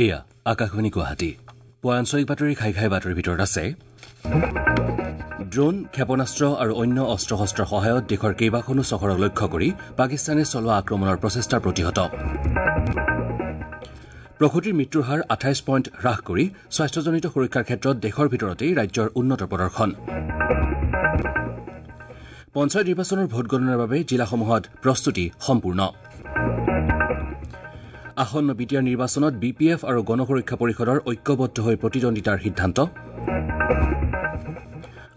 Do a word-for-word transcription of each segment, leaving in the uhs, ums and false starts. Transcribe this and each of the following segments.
এয়া আকাশবাণী গুৱাহাটী। পুৱা আঞ্চলিক বাতৰি খাই খাই বাতৰিৰ ভিতৰত আছে ড্ৰোন, ক্ষেপণাস্ত্ৰ আৰু অন্য অস্ত্ৰ শস্ত্ৰৰ সহায়ত দেশৰ কেইবাখনো চহৰক লক্ষ্য কৰি পাকিস্তানে চলোৱা আক্ৰমণৰ প্ৰচেষ্টা প্ৰতিহত। প্ৰসূতিৰ মৃত্যুৰ হাৰ আঠাইছ পইণ্ট হ্ৰাস কৰি স্বাস্থ্যজনিত সুৰক্ষাৰ ক্ষেত্ৰত দেশৰ ভিতৰতেই ৰাজ্যৰ উন্নত প্ৰদৰ্শন। পঞ্চায়ত নিৰ্বাচনৰ ভোটগণনাৰ বাবে জিলাসমূহত প্ৰস্তুতি সম্পূৰ্ণ। আসন্ন বি টি আৰ নিৰ্বাচনত বি পি এফ আৰু গণ সুৰক্ষা পৰিষদৰ ঐক্যবদ্ধ হৈ প্ৰতিদ্বন্দ্বিতাৰ সিদ্ধান্ত।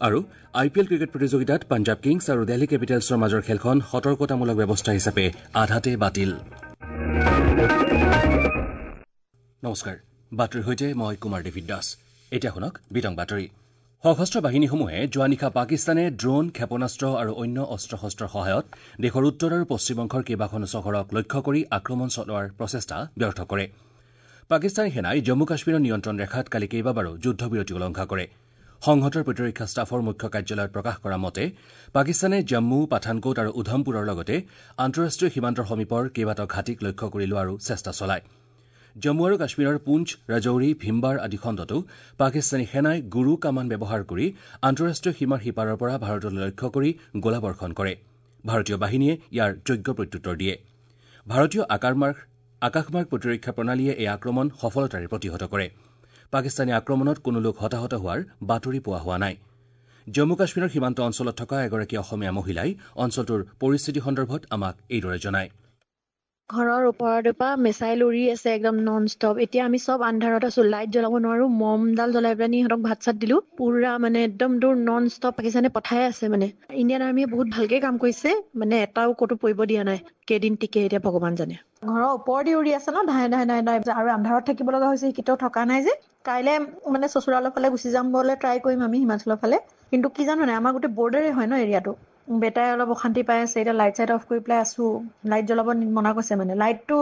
আৰু আই পি এল ক্ৰিকেট প্ৰতিযোগিতাত পাঞ্জাৱ কিংছ আৰু দিল্লী কেপিটেলছৰ মাজৰ খেলখন সতৰ্কতামূলক ব্যৱস্থা হিচাপে আধাতে বাতিল। নমস্কাৰ, বাতৰিৰ সৈতে মই কুমাৰ ডেভিড দাস। এতিয়া শুনক বিতং বাতৰি। সশস্ত্ৰ বাহিনীসমূহে যোৱা নিশা পাকিস্তানে ড্ৰোন, ক্ষেপণাস্ত্ৰ আৰু অন্য অস্ত্ৰ শস্ত্ৰৰ সহায়ত দেশৰ উত্তৰ আৰু পশ্চিম অংশৰ কেইবাখনো চহৰক লক্ষ্য কৰি আক্ৰমণ চলোৱাৰ প্ৰচেষ্টা ব্যৰ্থ কৰে। পাকিস্তানী সেনাই জম্মু কাশ্মীৰৰ নিয়ন্ত্ৰণ ৰেখাত কালি কেইবাবাৰো যুদ্ধবিৰতি উলংঘা কৰে। সংহতৰ প্ৰতিৰক্ষা ষ্টাফৰ মুখ্য কাৰ্যালয়ত প্ৰকাশ কৰা মতে পাকিস্তানে জম্মু, পাঠানকোট আৰু উধমপুৰৰ লগতে আন্তঃৰাষ্ট্ৰীয় সীমান্তৰ সমীপৰ কেইবাটাও ঘাটিক লক্ষ্য কৰি লোৱাৰো চেষ্টা চলায়। জম্মু আৰু কাশ্মীৰৰ পুঞ্চ, ৰাজৌৰী, ভীমবাৰ আদি খণ্ডতো পাকিস্তানী সেনাই গুৰু কামান ব্যৱহাৰ কৰি আন্তঃৰাষ্ট্ৰীয় সীমাৰ সিপাৰৰ পৰা ভাৰতলৈ লক্ষ্য কৰি গোলাবৰ্ষণ কৰে। ভাৰতীয় বাহিনীয়ে ইয়াৰ যোগ্য প্ৰত্যুত্তৰ দিয়ে। ভাৰতীয় আকাশমাৰ্গ প্ৰতিৰক্ষা প্ৰণালীয়ে এই আক্ৰমণ সফলতাৰে প্ৰতিহত কৰে। পাকিস্তানী আক্ৰমণত কোনো লোক হতাহত হোৱাৰ বাতৰি পোৱা হোৱা নাই। জম্মু কাশ্মীৰৰ সীমান্ত অঞ্চলত থকা এগৰাকী অসমীয়া মহিলাই অঞ্চলটোৰ পৰিস্থিতি সন্দৰ্ভত আমাক এইদৰে জনায়। ঘৰৰ ওপৰৰ পৰা মিছাইল উৰি আছে একদম নন ষ্টপ। এতিয়া আমি চব আন্ধাৰত আছো, লাইট জ্বলাব নোৱাৰো, মমডাল জ্বলাই পেলাই সিহঁতক ভাত চাত দিলো। পুৰা মানে একদম দূৰ নন ষ্টপ পাকিস্তানে পঠাই আছে। মানে ইণ্ডিয়ান আৰ্মিয়ে বহুত ভালকে কাম কৰিছে, মানে এটাও ক'তো পৰিব দিয়া নাই। কেইদিন টিকে এতিয়া ভগৱান জানে। ঘৰৰ ওপৰদি উৰি আছে ন, ধাই ধাই ধাই ধাই, আৰু আন্ধাৰত থাকিব লগা হৈছে, কেতিয়াও থকা নাই যে। কাইলে মানে চচুৰালৰ ফালে গুচি যাম বোলে, ট্ৰাই কৰিম আমি হিমাচলৰ ফালে। কিন্তু কি জানো নাই, আমাৰ গোটেই বৰ্ডাৰে হয় ন এৰিয়াটো। বেটাই অলপ অশান্তি পাই আছে এতিয়া, লাইট চাইট অফ কৰি পেলাই আছো। লাইট জ্বলাব মনা কৰিছে, মানে লাইটটো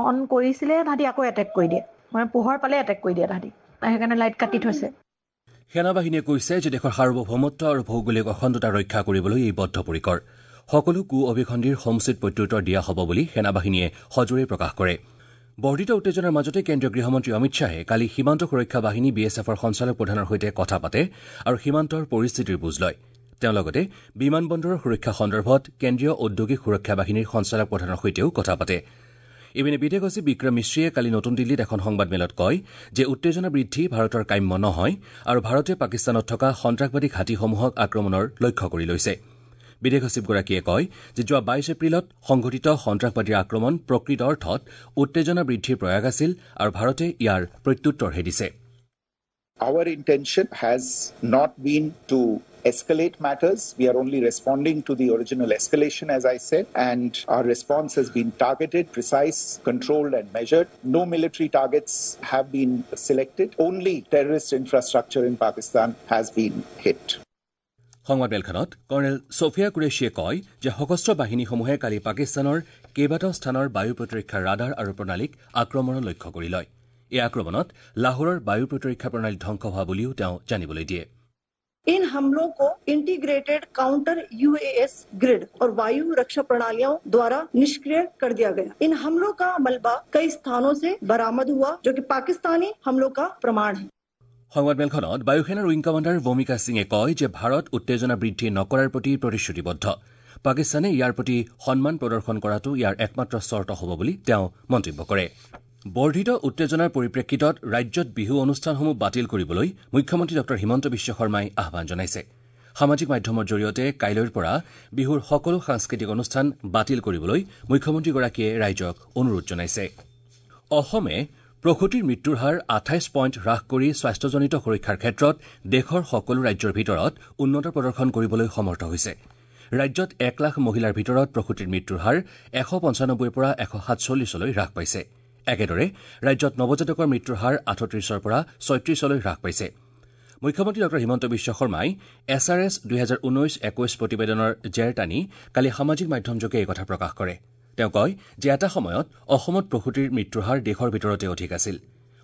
অন কৰিছিলে তাহাঁতি আকৌ এটেক কৰি দিয়ে, মানে পোহৰ পালে এটেক কৰি দিয়ে তাহাঁতি, সেইকাৰণে লাইট কাটি থৈছে। সেনাবাহিনীয়ে কৈছে যে দেশৰ সাৰ্বভৌমত্ব আৰু ভৌগোলিক অখণ্ডতা ৰক্ষা কৰিবলৈ এই বদ্ধপৰিকৰ। সকলো কু অভিসন্ধিৰ সমুচিত প্ৰত্যুত্তৰ দিয়া হ'ব বুলি সেনাবাহিনীয়ে সজোৰে প্ৰকাশ কৰে। বৰ্ধিত উত্তেজনাৰ মাজতে কেন্দ্ৰীয় গৃহমন্ত্ৰী অমিত শ্বাহে কালি সীমান্ত সুৰক্ষা বাহিনী বি এছ এফৰ সঞ্চালক প্ৰধানৰ সৈতে কথা পাতে আৰু সীমান্তৰ পৰিস্থিতিৰ বুজ লয়। তেওঁ লগতে বিমান বন্দৰৰ সুৰক্ষা সন্দৰ্ভত কেন্দ্ৰীয় ঔদ্যোগিক সুৰক্ষা বাহিনীৰ সঞ্চালক প্ৰধানৰ সৈতেও কথা পাতে। ইপিনে বিদেশ সচিব বিক্ৰম মিশ্ৰীয়ে কালি নতুন দিল্লীত এখন সংবাদমেলত কয় যে উত্তেজনা বৃদ্ধি ভাৰতৰ কাম্য নহয় আৰু ভাৰতে পাকিস্তানত থকা সন্ত্ৰাসবাদী ঘাটিসমূহক আক্ৰমণৰ লক্ষ্য কৰি লৈছে। বিদেশ সচিবগৰাকীয়ে কয় যে যোৱা বাইশ এপ্ৰিলত সংঘটিত সন্ত্ৰাসবাদীৰ আক্ৰমণ প্ৰকৃত অৰ্থত উত্তেজনা বৃদ্ধিৰ প্ৰয়াস আছিল আৰু ভাৰতে ইয়াৰ প্ৰত্যুত্তৰহে দিছে। Our intention has not been to escalate matters. We are only responding to the original escalation, as I said, and our response has been targeted, precise, controlled and measured. No military targets have been selected. Only terrorist infrastructure in Pakistan has been hit. সংবাদমেলখনত colonel Sophia কুৰেশ্বিয়ে কয় যে সশস্ত্ৰ বাহিনীসমূহে কালি পাকিস্তানৰ কেইবাটাও স্থানৰ বায়ু প্ৰতিৰক্ষা ৰাডাৰ আৰু প্ৰণালীক আক্ৰমণৰ লক্ষ্য কৰি লয়। এই আক্ৰমণত লাহোৰৰ বায়ু প্ৰতিৰক্ষা প্ৰণালী ধ্বংস হোৱা বুলিও তেওঁ জানিবলৈ দিয়ে। इन हमलों को इंटीग्रेटेड काउंटर यूएएस ग्रिड और वायु रक्षा प्रणालियों द्वारा निष्क्रिय कर दिया गया। इन हमलों का मलबा कई स्थानों से बरामद हुआ, जो कि पाकिस्तानी हमलों का प्रमाण है। সংবাদমেলখনত বায়ুসেনাৰ উইং কমাণ্ডাৰ ভূমিকা সিঙে কয় যে ভাৰত উত্তেজনা বৃদ্ধি নকৰাৰ প্ৰতি প্ৰতিশ্ৰুতিবদ্ধ। পাকিস্তানে ইয়াৰ প্ৰতি সন্মান প্ৰদৰ্শন কৰাটো ইয়াৰ একমাত্ৰ চৰ্ত হ'ব বুলি তেওঁ মন্তব্য কৰে। বৰ্ধিত উত্তেজনাৰ পৰিপ্ৰেক্ষিতত ৰাজ্যত বিহু অনুষ্ঠানসমূহ বাতিল কৰিবলৈ মুখ্যমন্ত্ৰী ডঃ হিমন্ত বিশ্ব শৰ্মাই আহ্বান জনাইছে। সামাজিক মাধ্যমৰ জৰিয়তে কাইলৈৰ পৰা বিহুৰ সকলো সাংস্কৃতিক অনুষ্ঠান বাতিল কৰিবলৈ মুখ্যমন্ত্ৰীগৰাকীয়ে ৰাইজক অনুৰোধ জনাইছে। অসমে প্ৰসূতিৰ মৃত্যুৰ হাৰ আঠাইছ পইণ্ট হ্ৰাস কৰি স্বাস্থ্যজনিত সুৰক্ষাৰ ক্ষেত্ৰত দেশৰ সকলো ৰাজ্যৰ ভিতৰত উন্নত প্ৰদৰ্শন কৰিবলৈ সমৰ্থ হৈছে। ৰাজ্যত এক লাখ মহিলাৰ ভিতৰত প্ৰসূতিৰ মৃত্যুৰ হাৰ এশ পঞ্চানব্বৈৰ পৰা এশ সাতচল্লিছলৈ হ্ৰাস পাইছে। একেদৰে ৰাজ্যত নৱজাতকৰ মৃত্যুৰ হাৰ আঠত্ৰিছৰ পৰা ছয়ত্ৰিছলৈ হ্ৰাস পাইছে। মুখ্যমন্ত্ৰী ডঃ হিমন্ত বিশ্ব শৰ্মাই এছ আৰ এছ দুহেজাৰ ঊনৈশ একৈশ প্ৰতিবেদনৰ জেৰ টানি কালি সামাজিক মাধ্যমযোগে এই কথা প্ৰকাশ কৰে। তেওঁ কয় যে এটা সময়ত অসমত প্ৰসূতিৰ মৃত্যুৰ হাৰ দেশৰ ভিতৰতে অধিক আছিল।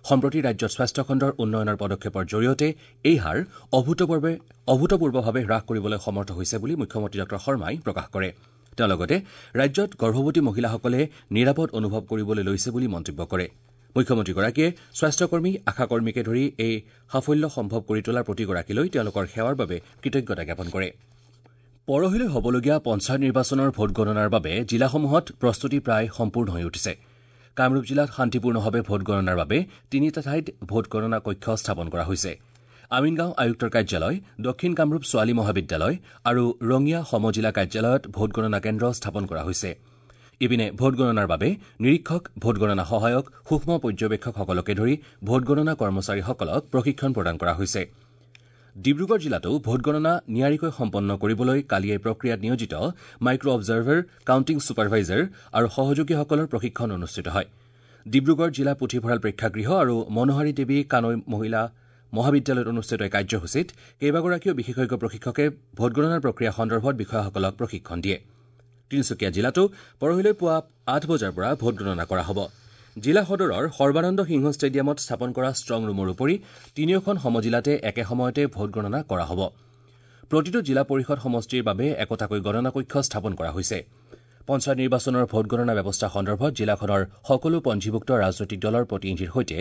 সম্প্ৰতি ৰাজ্যত স্বাস্থ্যখণ্ডৰ উন্নয়নৰ পদক্ষেপৰ জৰিয়তে এই হাৰ অভূতপূৰ্বভাৱে হ্ৰাস কৰিবলৈ সমৰ্থ হৈছে বুলি মুখ্যমন্ত্ৰী ডঃ শৰ্মাই প্ৰকাশ কৰে। তেওঁ লগতে ৰাজ্যত গৰ্ভৱতী মহিলাসকলে নিৰাপদ অনুভৱ কৰিবলৈ লৈছে বুলি মন্তব্য কৰে। মুখ্যমন্ত্ৰীগৰাকীয়ে স্বাস্থ্যকৰ্মী, আশাকৰ্মীকে ধৰি এই সাফল্য সম্ভৱ কৰি তোলাৰ প্ৰতিগৰাকীলৈ তেওঁলোকৰ সেৱাৰ বাবে কৃতজ্ঞতা জ্ঞাপন কৰে। পৰহিলৈ হ'বলগীয়া পঞ্চায়ত নিৰ্বাচনৰ ভোটগণনাৰ বাবে জিলাসমূহত প্ৰস্তুতি প্ৰায় সম্পূৰ্ণ হৈ উঠিছে। কামৰূপ জিলাত শান্তিপূৰ্ণভাৱে ভোটগণনাৰ বাবে তিনিটা ঠাইত ভোটগণনা কক্ষ স্থাপন কৰা হৈছে। আমিনগাঁও আয়ুক্তৰ কাৰ্যালয়, দক্ষিণ কামৰূপ ছোৱালী মহাবিদ্যালয় আৰু ৰঙিয়া সমজিলা কাৰ্যালয়ত ভোটগণনা কেন্দ্ৰ স্থাপন কৰা হৈছে। ইপিনে ভোটগণনাৰ বাবে নিৰীক্ষক, ভোটগণনা সহায়ক, সূক্ষ্ম পৰ্যবেক্ষকসকলকে ধৰি ভোটগণনা কৰ্মচাৰীসকলক প্ৰশিক্ষণ প্ৰদান কৰা হৈছে। ডিব্ৰুগড় জিলাতো ভোটগণনা নিয়াৰিকৈ সম্পন্ন কৰিবলৈ কালি এই প্ৰক্ৰিয়াত নিয়োজিত মাইক্ৰ অবজাৰ্ভাৰ, কাউণ্টিং ছুপাৰভাইজাৰ আৰু সহযোগীসকলৰ প্ৰশিক্ষণ অনুষ্ঠিত হয়। ডিব্ৰুগড় জিলা পুথিভঁৰাল প্ৰেক্ষাগৃহ আৰু মনোহাৰী দেৱী কানৈ মহিলা মহাবিদ্যালয়ত অনুষ্ঠিত এই কাৰ্যসূচীত কেইবাগৰাকীও বিশেষজ্ঞ প্ৰশিক্ষকে ভোটগণনাৰ প্ৰক্ৰিয়া সন্দৰ্ভত বিষয়াসকলক প্ৰশিক্ষণ দিয়ে। তিনিচুকীয়া জিলাতো পৰহিলৈ পুৱা আঠ বজাৰ পৰা ভোটগণনা কৰা হ'ব। জিলা সদৰৰ সৰ্বানন্দ সিংহ ষ্টেডিয়ামত স্থাপন কৰা ষ্ট্ৰং ৰুমৰ উপৰি তিনিওখন সমজিলাতে একে সময়তে ভোটগণনা কৰা হ'ব। প্ৰতিটো জিলা পৰিষদ সমষ্টিৰ বাবে একোটাকৈ গণনা কক্ষ স্থাপন কৰা হৈছে। পঞ্চায়ত নিৰ্বাচনৰ ভোটগণনা ব্যৱস্থা সন্দৰ্ভত জিলাখনৰ সকলো পঞ্জীভুক্ত ৰাজনৈতিক দলৰ প্ৰতিনিধিৰ সৈতে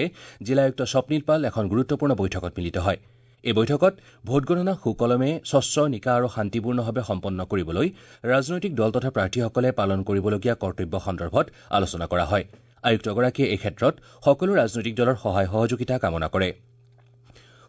জিলা আয়ুক্ত স্বপ্নীল পাল এখন গুৰুত্বপূৰ্ণ বৈঠকত মিলিত হয়। এই বৈঠকত ভোটগণনা সুকলমে, স্বচ্ছ, নিকা আৰু শান্তিপূৰ্ণভাৱে সম্পন্ন কৰিবলৈ ৰাজনৈতিক দল তথা প্ৰাৰ্থীসকলে পালন কৰিবলগীয়া কৰ্তব্য সন্দৰ্ভত আলোচনা কৰা হয়। আয়ুক্তগৰাকীয়ে এই ক্ষেত্ৰত সকলো ৰাজনৈতিক দলৰ সহায় সহযোগিতা কামনা কৰে।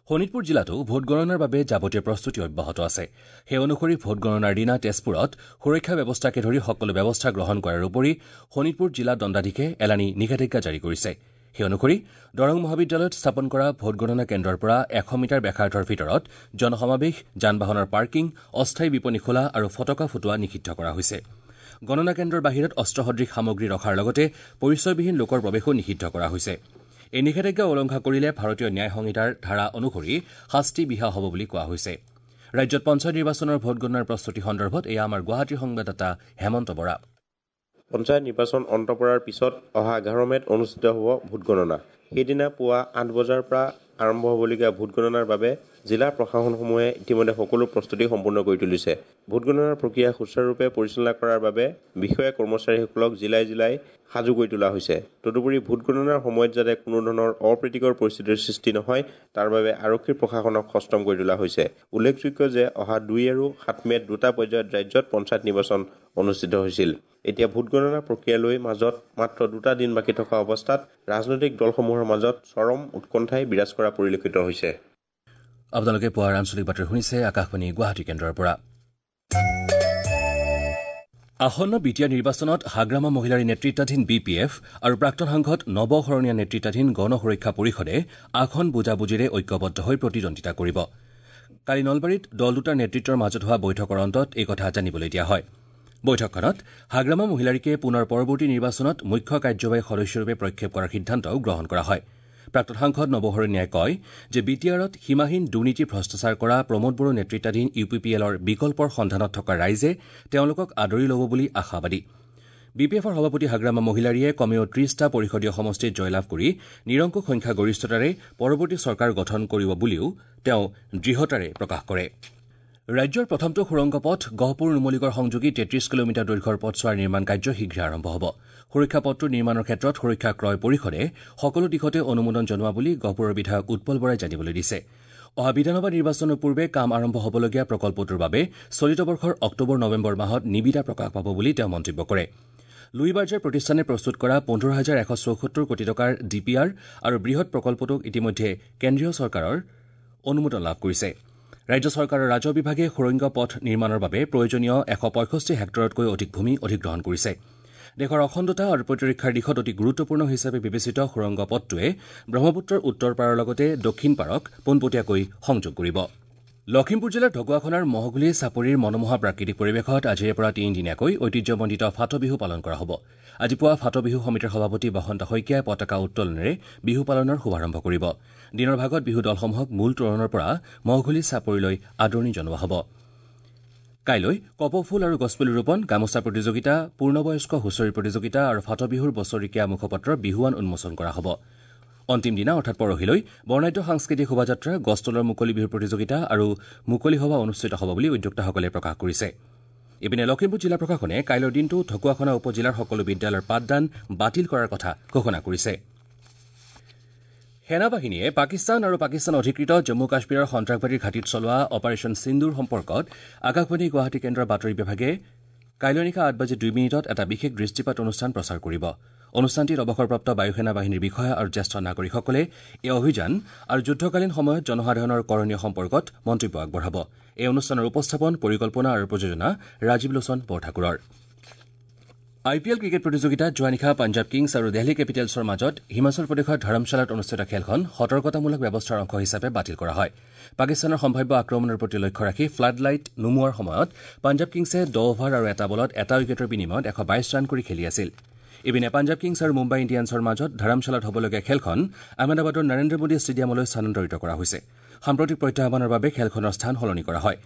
শোণিতপুৰ জিলাতো ভোটগণনাৰ বাবে যাৱতীয় প্ৰস্তুতি অব্যাহত আছে। সেই অনুসৰি ভোটগণনাৰ দিনা তেজপুৰত সুৰক্ষা ব্যৱস্থাকে ধৰি সকলো ব্যৱস্থা গ্ৰহণ কৰাৰ উপৰি শোণিতপুৰ জিলা দণ্ডাধীশে এলানি নিষেধাজ্ঞা জাৰি কৰিছে। সেই অনুসৰি দৰং মহাবিদ্যালয়ত স্থাপন কৰা ভোটগণনা কেন্দ্ৰৰ পৰা এশ মিটাৰ ব্যাসাৰ্ধৰ ভিতৰত জনসমাৱেশ, যান বাহনৰ পাৰ্কিং, অস্থায়ী বিপণী খোলা আৰু ফটকা ফুটোৱা নিষিদ্ধ কৰা হৈছে। গণনা কেন্দ্ৰৰ বাহিৰত অস্ত্ৰসদৃশ সামগ্ৰী ৰখাৰ লগতে পৰিচয়বিহীন লোকৰ প্ৰৱেশো নিষিদ্ধ কৰা হৈছে। এই নিষেধাজ্ঞা উলংঘা কৰিলে ভাৰতীয় ন্যায় সংহিতাৰ ধাৰা অনুসৰি শাস্তি বিহা হ'ব বুলি কোৱা হৈছে। ৰাজ্যত পঞ্চায়ত নিৰ্বাচনৰ ভোটগণনাৰ প্ৰস্তুতি সন্দৰ্ভত এয়া আমাৰ গুৱাহাটীৰ সংবাদদাতা হেমন্ত বৰা। পঞ্চায়ত নিৰ্বাচন অন্ত পৰাৰ পিছত অহা এঘাৰ মে'ত অনুষ্ঠিত হ'ব ভোটগণনা। সেইদিনা পুৱা আঠ বজাৰ পৰা আৰম্ভ হ'বলগীয়া ভোটগণনাৰ বাবে জিলা প্ৰশাসনসমূহে ইতিমধ্যে সকলো প্ৰস্তুতি সম্পূৰ্ণ কৰি তুলিছে। ভোটগণনাৰ প্ৰক্ৰিয়া সুচাৰুৰূপে পৰিচালনা কৰাৰ বাবে বিষয়া কৰ্মচাৰীসকলক জিলাই জিলাই সাজু কৰি তোলা হৈছে। তদুপৰি ভোটগণনাৰ সময়ত যাতে কোনো ধৰণৰ অপ্ৰীতিকৰ পৰিস্থিতিৰ সৃষ্টি নহয় তাৰ বাবে আৰক্ষী প্ৰশাসনক সষ্টম কৰি তোলা হৈছে। উল্লেখযোগ্য যে অহা দুই আৰু সাত মে'ত দুটা পৰ্যায়ত ৰাজ্যত পঞ্চায়ত নিৰ্বাচন অনুষ্ঠিত হৈছিল। এতিয়া ভোটগণনা প্ৰক্ৰিয়ালৈ মাজত মাত্ৰ দুটা দিন বাকী থকা অৱস্থাত ৰাজনৈতিক দলসমূহৰ মাজত চৰম উৎকণ্ঠাই বিৰাজ কৰা পৰিলক্ষিত হৈছে। আপোনালোকে পুৱাৰ আঞ্চলিক বাতৰি শুনিছে আকাশবাণী গুৱাহাটী কেন্দ্ৰৰ পৰা। আসন্ন বি টি আৰ নিৰ্বাচনত হাগ্ৰামা মহিলাৰী নেতৃত্বাধীন বি পি এফ আৰু প্ৰাক্তন সাংসদ নৱ শৰণীয়া নেতৃত্বাধীন গণ সুৰক্ষা পৰিষদে আসন বুজাবুজিৰে ঐক্যবদ্ধ হৈ প্ৰতিদ্বন্দ্বিতা কৰিব। কালি নলবাৰীত দল দুটাৰ নেতৃত্বৰ মাজত হোৱা বৈঠকৰ অন্তত এই কথা জানিবলৈ দিয়া হয়। বৈঠকখনত হাগ্ৰামা মহিলাৰীকে পুনৰ পৰৱৰ্তী নিৰ্বাচনত মুখ্য কাৰ্যবাহী সদস্যৰূপে প্ৰক্ষেপ কৰাৰ সিদ্ধান্তও গ্ৰহণ কৰা হয়। প্ৰাক্তন সাংসদ নৱ শৰণীয়াই কয় যে বি টি আৰত সীমাহীন দুৰ্নীতি ভ্ৰষ্টাচাৰ কৰা প্ৰমোদ বড়ো নেতৃত্বাধীন ইউ পি পি এলৰ বিকল্পৰ সন্ধানত থকা ৰাইজে তেওঁলোকক আদৰি ল'ব বুলি আশাবাদী। বি পি এফৰ সভাপতি হাগ্ৰামা মহিলাৰীয়ে কমেও ত্ৰিশটা পৰিষদীয় সমষ্টিত জয়লাভ কৰি নিৰংকুশ সংখ্যাগৰিষ্ঠতাৰে পৰৱৰ্তী চৰকাৰ গঠন কৰিব বুলিও তেওঁ দৃঢ়তাৰে প্ৰকাশ কৰে। ৰাজ্যৰ প্ৰথমটো সুৰংগ পথ গহপুৰ নুমলীগড় সংযোগী তেত্ৰিশ কিলোমিটাৰ দৈৰ্ঘ্যৰ পথছোৱাৰ নিৰ্মাণ কাৰ্য শীঘ্ৰে আৰম্ভ হ'ব। সুৰক্ষা পথটোৰ নিৰ্মাণৰ ক্ষেত্ৰত সুৰক্ষা ক্ৰয় পৰিষদে সকলো দিশতে অনুমোদন জনোৱা বুলি গহপুৰৰ বিধায়ক উৎপল বৰাই জানিবলৈ দিছে। অহা বিধানসভা নিৰ্বাচনৰ পূৰ্বে কাম আৰম্ভ হ'বলগীয়া প্ৰকল্পটোৰ বাবে চলিত বৰ্ষৰ অক্টোবৰ নৱেম্বৰ মাহত নিবিদা প্ৰকাশ পাব বুলি তেওঁ মন্তব্য কৰে। লুই বাৰ্জাৰ প্ৰতিষ্ঠানে প্ৰস্তুত কৰা পোন্ধৰ হাজাৰ এশ চৌসত্তৰ কোটি টকাৰ ডি পি আৰ আৰু বৃহৎ প্ৰকল্পটোক ইতিমধ্যে কেন্দ্ৰীয় চৰকাৰৰ অনুমোদন লাভ কৰিছে। ৰাজ্য চৰকাৰৰ ৰাজহ বিভাগে সুৰংগ পথ নিৰ্মাণৰ বাবে প্ৰয়োজনীয় এশ পঁয়ষষ্ঠি হেক্টৰতকৈ অধিক ভূমি অধিগ্ৰহণ কৰিছে। দেশৰ অখণ্ডতা আৰু প্ৰতিৰক্ষাৰ দিশত অতি গুৰুত্বপূৰ্ণ হিচাপে বিবেচিত সুৰংগ পথটোৱে ব্ৰহ্মপুত্ৰৰ উত্তৰ পাৰৰ লগতে দক্ষিণ পাৰক পোনপটীয়াকৈ সংযোগ কৰিব। লখিমপুৰ জিলাৰ ঢকুৱাখনাৰ মহগুলি চাপৰিৰ মনোমোহা প্ৰাকৃতিক পৰিৱেশত আজিৰে পৰা তিনিদিনীয়াকৈ ঐতিহ্যমণ্ডিত ফাট বিহু পালন কৰা হ'ব। আজি পুৱা ফাট বিহু সমিতিৰ সভাপতি বসন্ত শইকীয়াই পতাকা উত্তোলনেৰে বিহু পালনৰ শুভাৰম্ভ কৰিব। দিনৰ ভাগত বিহু দলসমূহক মূল তোৰণৰ পৰা মহঘুলি চাপৰিলৈ আদৰণি জনোৱা হ'ব। কাইলৈ কপৌফুল আৰু গছপুলি ৰোপণ, গামোচা প্ৰতিযোগিতা, পূৰ্ণবয়স্ক হুঁচৰি প্ৰতিযোগিতা আৰু ফাট বিহুৰ বছৰেকীয়া মুখপত্ৰ বিহুৱান উন্মোচন কৰা হ'ব। অন্তিম দিনা অৰ্থাৎ পৰহিলৈ বৰ্ণাঢ্য সাংস্কৃতিক শোভাযাত্ৰা, গছতলৰ মুকলি বিহু প্ৰতিযোগিতা আৰু মুকলি সভা অনুষ্ঠিত হ'ব বুলি উদ্যোক্তাসকলে প্ৰকাশ কৰিছে। ইপিনে লখিমপুৰ জিলা প্ৰশাসনে কাইলৈৰ দিনটো ঢকুৱাখনা উপ জিলাৰ সকলো বিদ্যালয়ৰ পাঠদান বাতিল কৰাৰ কথা ঘোষণা কৰিছে। সেনাবাহিনীয়ে পাকিস্তান আৰু পাকিস্তান অধিকৃত জম্মু কাশ্মীৰৰ সন্ত্ৰাসবাদীৰ ঘাটিত চলোৱা অপাৰেশ্যন সিন্দুৰ সম্পৰ্কত আকাশবাণী গুৱাহাটী কেন্দ্ৰৰ বাতৰি বিভাগে কাইলৈ নিশা আঠ বাজি দুই মিনিটত এটা বিশেষ দৃষ্টিপাত অনুষ্ঠান প্ৰচাৰ কৰিব। অনুষ্ঠানটিত অৱসৰপ্ৰাপ্ত বায়ুসেনা বাহিনীৰ বিষয়া আৰু জ্যেষ্ঠ নাগৰিকসকলে এই অভিযান আৰু যুদ্ধকালীন সময়ত জনসাধাৰণৰ কৰণীয় সম্পৰ্কত মন্তব্য আগবঢ়াব। এই অনুষ্ঠানৰ উপস্থাপন, পৰিকল্পনা আৰু প্ৰযোজনা ৰাজীৱ লোচন বৰঠাকুৰৰ। আই পি এল ক্ৰিকেট প্ৰতিযোগিতাত যোৱা নিশা পাঞ্জাৱ কিংছ আৰু দেলহি কেপিটেলছৰ মাজত হিমাচল প্ৰদেশৰ ধৰমশালাত অনুষ্ঠিত খেলখন সতৰ্কতামূলক ব্যৱস্থাৰ অংশ হিচাপে বাতিল কৰা হয়। পাকিস্তানৰ সম্ভাৱ্য আক্ৰমণৰ প্ৰতি লক্ষ্য ৰাখি ফ্লাড লাইট নুমুৱাৰ সময়ত পাঞ্জাৱ কিংছে দহ অভাৰ আৰু এটা বলত এটা উইকেটৰ বিনিময়ত এশ বাইশ ৰান কৰি খেলি আছিল। ইপিনে পাঞ্জাৱ কিংছ আৰু মুম্বাই ইণ্ডিয়ানছৰ মাজত ধৰমশালাত হ'বলগীয়া খেলখন আহমেদাবাদৰ নৰেন্দ্ৰ মোদী ষ্টেডিয়ামলৈ স্থানান্তৰিত কৰা হৈছে। সাম্প্ৰতিক প্ৰত্যাহ্বানৰ বাবে খেলখনৰ স্থান সলনি কৰা হয়।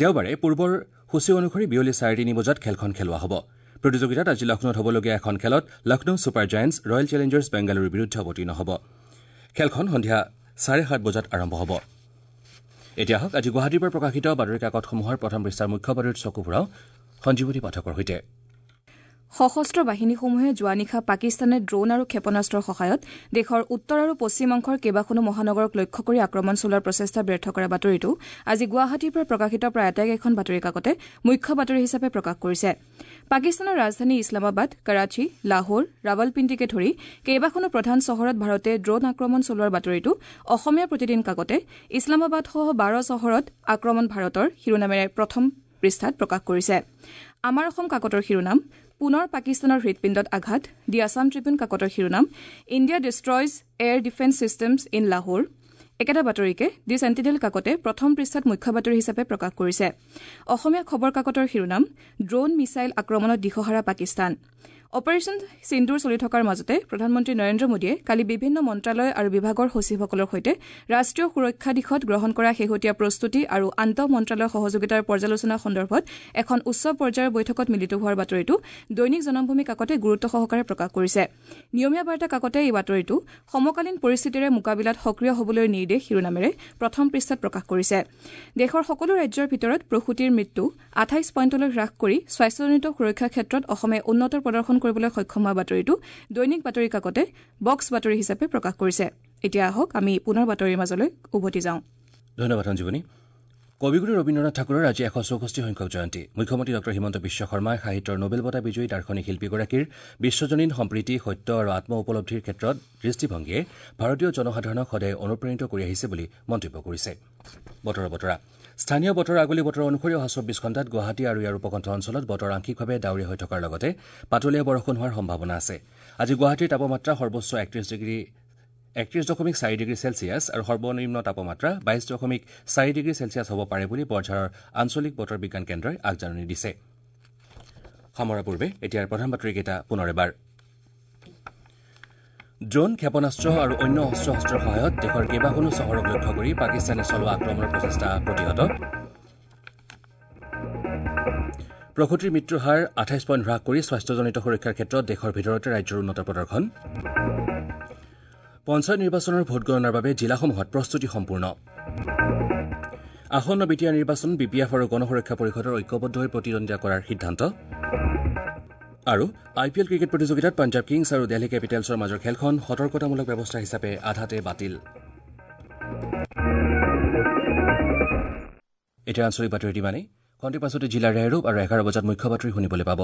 দেওবাৰে পূৰ্বৰ সূচী অনুসৰি বিয়লি চাৰে তিনি বজাত খেলখন খেলোৱা হ'ব। প্ৰতিযোগিতাত আজি লক্ষ্ণৌত হ'বলগীয়া এখন খেলত Lucknow Super Giants Royal Challengers বেংগালুৰুৰ বিৰুদ্ধে অৱতীৰ্ণ হ'ব। খেলখন সন্ধিয়া চাৰে সাত বজাত আৰম্ভ হ'ব। এতিয়া আহক আজি গুৱাহাটীৰ পৰা প্ৰকাশিত বাতৰি কাকতসমূহৰ প্ৰথম পৃষ্ঠাৰ মুখ্য বাতৰিত চকু ফুৰাওঁ সঞ্জীৱনী পাঠকৰ সৈতে। সশস্ত্ৰ বাহিনীসমূহে যোৱা নিশা পাকিস্তানে ড্ৰোন আৰু ক্ষেপণাস্ত্ৰৰ সহায়ত দেশৰ উত্তৰ আৰু পশ্চিম অংশৰ কেইবাখনো মহানগৰক লক্ষ্য কৰি আক্ৰমণ চলোৱাৰ প্ৰচেষ্টা ব্যৰ্থ কৰা বাতৰিটো আজি গুৱাহাটীৰ পৰা প্ৰকাশিত প্ৰায় আটাইকেইখন বাতৰি কাকতে মুখ্য বাতৰি হিচাপে প্ৰকাশ কৰিছে। পাকিস্তানৰ ৰাজধানী ইছলামাবাদ, কৰাচী, লাহোৰ, ৰাৱালপিণ্ডিকে ধৰি কেইবাখনো প্ৰধান চহৰত ভাৰতে ড্ৰোন আক্ৰমণ চলোৱাৰ বাতৰিটো অসমীয়া প্ৰতিদিন কাকতে ইছলামাবাদসহ বাৰ চহৰত আক্ৰমণ ভাৰতৰ শিৰোনামেৰে প্ৰথম পৃষ্ঠাত প্ৰকাশ কৰিছে। আমাৰ অসম কাকতৰ শিৰোনাম পুনৰ পাকিস্তানৰ হৃদপিণ্ডত আঘাত। দি আছাম ট্ৰিবিউন কাকতৰ শিৰোনাম India destroys air defence systems in Lahore. একেটা বাতৰিকে দি চেণ্টিনেল কাকতে প্ৰথম পৃষ্ঠাত মুখ্য বাতৰি হিচাপে প্ৰকাশ কৰিছে। অসমীয়া খবৰ কাকতৰ শিৰোনাম ড্ৰোন মিছাইল আক্ৰমণত দিশহাৰা পাকিস্তান। অপাৰেশ্যন সিন্দুৰ চলি থকাৰ মাজতে প্ৰধানমন্ত্ৰী নৰেন্দ্ৰ মোদীয়ে কালি বিভিন্ন মন্ত্ৰালয় আৰু বিভাগৰ সচিবসকলৰ সৈতে ৰাষ্ট্ৰীয় সুৰক্ষা দিশত গ্ৰহণ কৰা শেহতীয়া প্ৰস্তুতি আৰু আন্তঃ মন্ত্ৰালয়ৰ সহযোগিতাৰ পৰ্যালোচনা সন্দৰ্ভত এখন উচ্চ পৰ্যায়ৰ বৈঠকত মিলিত হোৱাৰ বাতৰিটো দৈনিক জনমভূমি কাকতে গুৰুত্ব সহকাৰে প্ৰকাশ কৰিছে। নিয়মীয়া বাৰ্তা কাকতে এই বাতৰিটো সমকালীন পৰিস্থিতিৰে মোকাবিলাত সক্ৰিয় হ'বলৈ নিৰ্দেশ শিৰোনামেৰে প্ৰথম পৃষ্ঠাত প্ৰকাশ কৰিছে। দেশৰ সকলো ৰাজ্যৰ ভিতৰত প্ৰসূতিৰ মৃত্যু আঠাইছ পইণ্টলৈ হ্ৰাস কৰি স্বাস্থ্যজনিত সুৰক্ষাৰ ক্ষেত্ৰত অসমে উন্নত প্ৰদৰ্শন কৰিবলৈ সক্ষম হোৱা বাতৰিটো দৈনিক বাতৰি কাকতে বক্স বাতৰি হিচাপে প্ৰকাশ কৰিছে। এতিয়া আহক আমি পুনৰ বাতৰিৰ মাজলৈ উভতি যাওঁ। ধন্যবাদ সঞ্জীৱনী। কবিগুৰু ৰবীন্দ্ৰনাথ ঠাকুৰৰ আজি এশ চৌষষ্ঠি সংখ্যক জয়ন্তী। মুখ্যমন্ত্ৰী ডঃ হিমন্ত বিশ্ব শৰ্মাই সাহিত্যৰ নোবেল বঁটা বিজয়ী দাৰ্শনিক শিল্পীগৰাকীৰ বিশ্বজনীন সম্প্ৰীতি, সত্য আৰু আত্ম উপলব্ধিৰ ক্ষেত্ৰত দৃষ্টিভংগীয়ে ভাৰতীয় জনসাধাৰণক সদায় অনুপ্ৰাণিত কৰি আহিছে বুলি মন্তব্য কৰিছে। বতৰৰ বতৰা। স্থানীয় বতৰৰ আগলি বতৰ অনুসৰি অহা চৌব্বিছ ঘণ্টাত গুৱাহাটী আৰু ইয়াৰ উপকণ্ঠ অঞ্চলত বতৰ আংশিকভাৱে ডাৱৰীয়া হৈ থকাৰ লগতে পাতলীয়া বৰষুণ হোৱাৰ সম্ভাৱনা আছে। আজি গুৱাহাটীৰ তাপমাত্ৰা সৰ্বোচ্চ একত্ৰিশ ডিগ্ৰী একত্ৰিশ দশমিক চাৰি ডিগ্ৰী চেলছিয়াছ আৰু সৰ্বনিম্ন তাপমাত্ৰা বাইশ দশমিক চাৰি ডিগ্ৰী চেলছিয়াছ হ'ব পাৰে বুলি বৰঝাৰৰ আঞ্চলিক বতৰ বিজ্ঞান কেন্দ্ৰই আগজাননী দিছে। সামৰাৰ পূৰ্বে এতিয়াৰ প্ৰধান বাতৰিকেইটা পুনৰ এবাৰ। ড্ৰোন, ক্ষেপণাস্ত্ৰ আৰু অন্য অস্ত্ৰ শস্ত্ৰৰ সহায়ত দেশৰ কেইবাখনো চহৰক লক্ষ্য কৰি পাকিস্তানে চলোৱা আক্ৰমণৰ প্ৰচেষ্টা প্ৰতিহত। প্ৰসূতিৰ মৃত্যুৰ হাৰ আঠাইছ পইণ্ট হ্ৰাস কৰি স্বাস্থ্যজনিত সুৰক্ষাৰ ক্ষেত্ৰত দেশৰ ভিতৰতে ৰাজ্যৰ উন্নত প্ৰদৰ্শন। পঞ্চায়ত নিৰ্বাচনৰ ভোটগণনাৰ বাবে জিলাসমূহত প্ৰস্তুতি সম্পূৰ্ণ। আসন্ন বি টি আৰ নিৰ্বাচন বি পি এফ আৰু গণ সুৰক্ষা পৰিষদৰ ঐক্যবদ্ধ হৈ প্ৰতিদ্বন্দ্বিতা কৰাৰ সিদ্ধান্ত। আৰু আই পি এল ক্ৰিকেট প্ৰতিযোগিতাত পাঞ্জাৱ কিংছ আৰু দেলহি কেপিটেলছৰ মাজৰ খেলখন সতৰ্কতামূলক ব্যৱস্থা হিচাপে আধাতে বাতিল। এতিয়া আঞ্চলিক বাতৰি ইমানেই। খন্তেক পাছতে জিলাৰ ৰেহৰূপ আৰু এঘাৰ বজাত মুখ্য বাতৰি শুনিবলৈ পাব।